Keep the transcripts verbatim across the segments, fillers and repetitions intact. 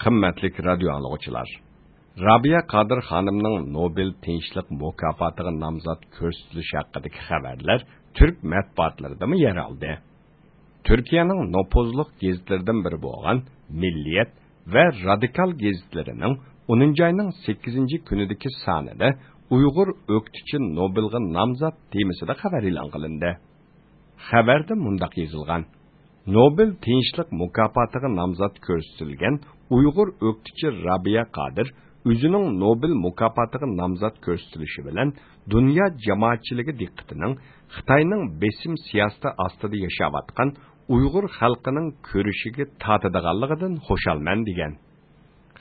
قىممەتلىك رادىيو ئاڭلىغۇچىلار، رابىيە قادىر خانىمنىڭ نوبېل تىنچلىق مۇكاپاتىغا نامزات كۆرسىتىلىشى ھەققىدىكى خەۋەرلەر تۈرك مەتبۇئاتلىرىدىمۇ يەر ئالدى. تۈركىيەنىڭ نوپۇزلۇق گېزىتلىرىدىن بىرى بولغان مىللىيەت ۋە رادىكال گېزىتلىرىنىڭ ئونىنچى ئاينىڭ سەككىزىنچى كۈنىدىكى سانىدا ئۇيغۇر ئۆكتىچى نوبېلغا نامزات تېمىسىدا خەۋەر ئېلان قىلىندى. خەۋەردە مۇنداق يېزىلغان: نوبېل تىنچلىق مۇكاپاتىغا نامزات كۆرسىتىلگەن ئۇيغۇر ئۆكتىچى رابىيە قادىر ئۆزىنىڭ نوبېل مۇكاپاتىغا نامزات كۆرسىتىلىشى بىلەن دۇنيا جامائەتچىلىكى دىققىتىنىڭ خىتاينىڭ بېسىم سىياسىتى ئاستىدا ياشاۋاتقان ئۇيغۇر خەلقىنىڭ كۈرىشىگە تارتىدىغانلىقىدىن خۇشالمەن، دېگەن.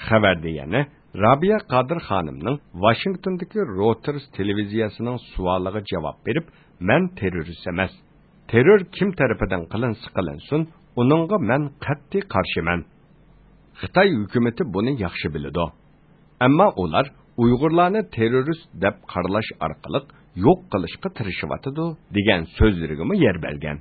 خەۋەردە يەنە رابىيە قادىر خانىمنىڭ ۋاشىنگتوندىكى رويتېرس تېلېۋىزىيەسىنىڭ سوئالىغا جاۋاب بېرىپ، مەن تېررورىست ئەمەس. تېررور كىم تەرىپىدىن قىلىنسا قىلىنسۇن، ئۇنىڭغا مەن قەتئىي قارشىمەن. خىتاي ھۆكۈمىتى بۇنى ياخشى بىلىدۇ. ئەمما ئۇلار ئۇيغۇرلارنى تېررورىست دەپ قارىلاش ئارقىلىق يوق قىلىشقا تىرىشىۋاتىدۇ، دېگەن سۆزلىرىگىمۇ يەر بەرگەن.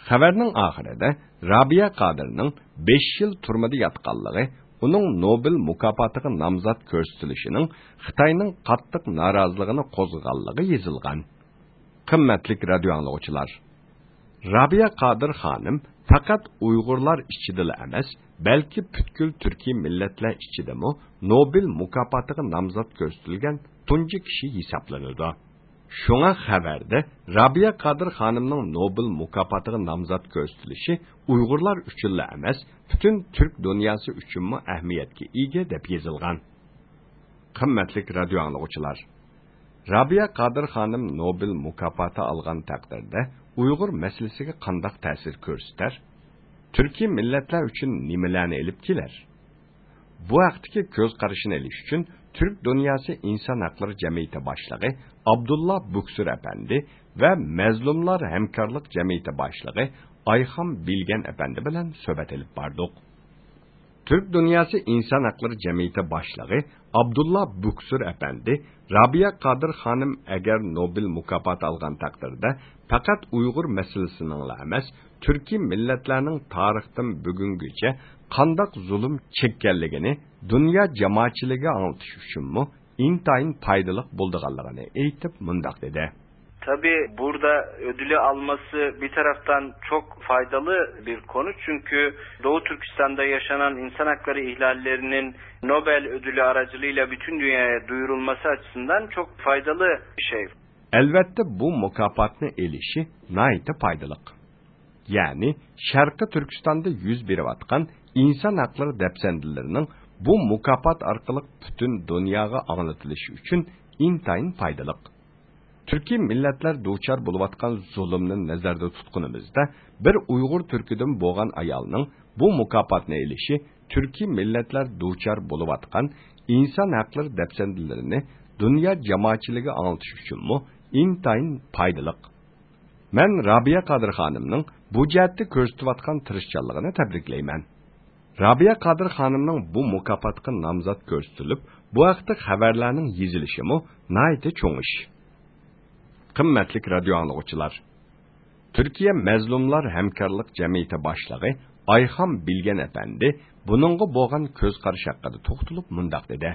خەۋەرنىڭ ئاخىرىدا رابىيە قادىرنىڭ بەش يىل تۈرمىدە ياتقانلىقى، ئۇنىڭ نوبېل مۇكاپاتىغا نامزات كۆرسىتىلىشىنىڭ خىتاينىڭ قاتتىق نارازىلىقىنى قوزغىغانلىقى يېزىلغان. قىممەتلىك رادىيو ئاڭلىغۇچىلار، رابىيە قادىر خانىم پەقەت ئۇيغۇرلار ئىچىدىلا ئەمەس، بەلكى پۈتكۈل تۈركىي مىللەتلەر ئىچىدىمۇ نوبېل مۇكاپاتىغا نامزات كۆرسىتىلگەن تۇنجى كىشى ھېسابلىنىدۇ. شۇڭا خەۋەردە رابىيە قادىر خانىمنىڭ نوبېل مۇكاپاتىغا نامزات كۆرسىتىلىشى ئۇيغۇرلار ئۈچۈنلا ئەمەس، پۈتۈن تۈرك دۇنياسى ئۈچۈنمۇ ئەھمىيەتكە ئىگە، دەپ يېزىلغان. قىممەتلىك رادىيو ئاڭلىغۇچىلار، رابىيە قادىر خانىم نوبېل مۇكاپاتى ئالغان تەقدىردە ئۇيغۇر مەسىلىسىگە قانداق تەسىر كۆرسىتەر؟ تۈركىي مىللەتلەر ئۈچۈن نېمىلەرنى ئېلىپ كېلەر؟ بۇ ھەقتىكى كۆز قارىشىنى ئېلىش ئۈچۈن تۈرك دۇنياسى ئىنسان ھەقلىرى جەمئىيىتى باشلىقى ئابدۇللا بۇكسۇر ئەپەندى ۋە مەزلۇملار ھەمكارلىق جەمئىيىتى باشلىقى ئايخان بىلگەن ئەپەندى بىلەن سۆھبەت ئېلىپ باردۇق. تۈرك دۇنياسى ئىنسان ھەقلىرى جەمئىيىتى باشلىقى ئابدۇللا بۇكسۇر ئەپەندى رابىيە قادىر خانىم ئەگەر نوبېل مۇكاپاتى ئالغان تەقدىردە، پەقەت ئۇيغۇر مەسىلىسىنىڭلا ئەمەس، تۈركىي مىللەتلەرنىڭ تارىختىن بۈگۈنگىچە قانداق زۇلۇم چەككەنلىكىنى دۇنيا جامائەتچىلىكىگە ئاڭلىتىش ئۈچۈنمۇ ئىنتايىن پايدىلىق بولىدىغانلىقىنى ئېيتىپ، مۇنداق دېدى. Tabii burada ödülü alması bir taraftan çok faydalı bir konu. Çünkü Doğu Türkistan'da yaşanan insan hakları ihlallerinin Nobel ödülü aracılığıyla bütün dünyaya duyurulması açısından çok faydalı bir şey. ئەلۋەتتە، بۇ مۇكاپاتنى ئېلىشى ناھايىتى پايدىلىق. يەنى، شەرقىي تۈركىستاندا يۈز بېرىۋاتقان ئىنسان ھەقلىرى دەپسەندىلىرىنىڭ بۇ مۇكاپات ئارقىلىق پۈتۈن دۇنياغا ئاڭلىتىلىشى ئۈچۈن ئىنتايىن پايدىلىق. تۈركىي مىللەتلەر دۇچار بولۇۋاتقان زۇلۇمنى نەزەردە تۇتقىنىمىزدا، بىر ئۇيغۇر تۈركىدىن بولغان ئايالنىڭ بۇ مۇكاپاتنى ئېلىشى تۈركىي مىللەتلەر دۇچار بولۇۋاتقان ئىنسان ھەقلىرى دەپسەندىلىرىنى دۇنيا جامائەتچىلىكىگە ئاڭلىتىش ئۈچۈنمۇ ئىنتايىن پايدىلىق. مەن رابىيە قادىر خانىمنىڭ بۇ جەھەتتە كۆرسىتىۋاتقان تىرىشچانلىقىنى تەبرىكلەيمەن. رابىيە قادىر خانىمنىڭ بۇ مۇكاپاتقا نامزات كۆرسىتىلىپ، بۇ ھەقتە خەۋەرلەرنىڭ يېزىلىشىمۇ ناھايىتى چوڭ ئىش. قىممەتلىك رادىيو ئاڭلىغۇچىلار! تۈركىيە مەزلۇملار ھەمكارلىق جەمئىيىتى باشلىقى ئايخان بىلگەن ئەپەندى بۇنىڭغا بولغان كۆز قارىشى ھەققىدە توختىلىپ مۇنداق دېدى.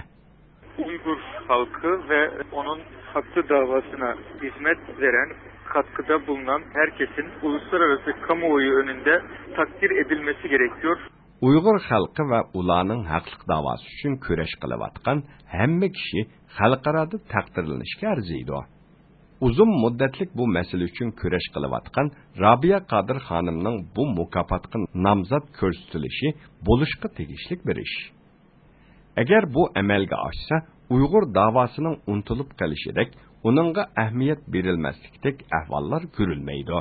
Uygur halkı ve onun hakkı davasına hizmet veren, katkıda bulunan herkesin uluslararası kamuoyu önünde takdir edilmesi gerekiyor. ئۇيغۇر خەلقى ۋە ئۇلارنىڭ ھەقلىق داۋاسى ئۈچۈن كۈرەش قىلىۋاتقان ھەممە كىشى خەلقئارادا تەقدىرلىنىشكە ئەرزىيدۇ. ئۇزۇن مۇددەتلىك بۇ مەسىلە ئۈچۈن كۈرەش قىلىۋاتقان رابىيە قادىر خانىمنىڭ بۇ مۇكاپاتقا نامزات كۆرسىتىلىشى بولۇشقا تېگىشلىك بىر ئىش. ئەگەر بۇ ئەمەلگە ئاشسا، ئۇيغۇر داۋاسىنىڭ ئۇنتۇلۇپ قېلىشىدەك، ئۇنىڭغا ئەھمىيەت بېرىلمەسلىكتەك ئەھۋاللار كۆرۈلمەيدۇ.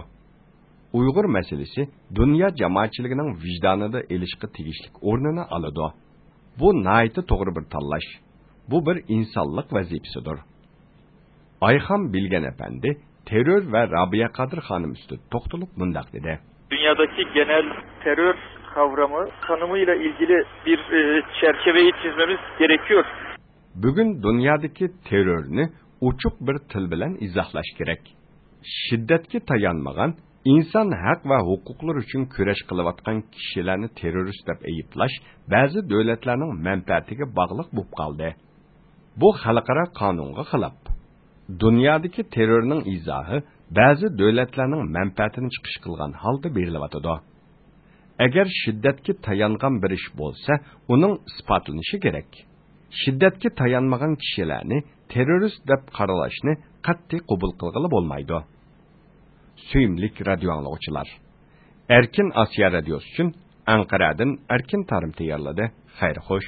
ئۇيغۇر مەسىلىسى دۇنيا جامائەتچىلىكىنىڭ ۋىجدانىدا ئېلىشقا تېگىشلىك ئورنىنى ئالىدۇ. بۇ ناھايىتى توغرا بىر تاللاش. بۇ بىر ئىنسانلىق ۋەزىپىسىدۇر. ئايخان بىلگەن ئەپەندى تېررور ۋە رابىيە قادىر خانىم ئۈستىدە توختىلىپ مۇنداق دېدى. Dünyadaki genel terör kavramı tanımıyla ilgili bir e, çerçeveyi çizmemiz gerekiyor. بۈگۈن دۇنيادىكى تېررورنى ئوچۇق بىر تىل بىلەن ئىزاھلاش كېرەك. شىددەتكە تايانمىغان، ئىنسان ھەق ۋە ھوقۇقلىرى ئۈچۈن كۈرەش قىلىۋاتقان كىشىلەرنى تېررورىست دەپ ئەيىبلەش بەزى دۆلەتلەرنىڭ مەنپەئەتىگە باغلىق بولۇپ قالدى. بۇ خەلقئارا قانۇنغا خىلاپ. دۇنيادىكى تېررورنىڭ ئىزاھى بەزى دۆلەتلەرنىڭ مەنپەئەتىنى چىقىش قىلغان ھالدا بېرىلىۋاتىدۇ. ئەگەر شىددەتكە تايانغان بىر ئىش بولسا، ئۇنىڭ ئىسپاتلىنىشى كېرەك. شىددەتكە تايانمىغان كىشىلەرنى تېررورىست دەپ قارىلاشنى قەتئىي قوبۇل قىلغىلى بولمايدۇ. سۆيۈملۈك رادىيو ئاڭلىغۇچىلار، ئەركىن ئاسىيا رادىيوسى ئۈچۈن ئەنقەرەدىن ئەركىن تارىم تەييارلىدى. خەير خوش.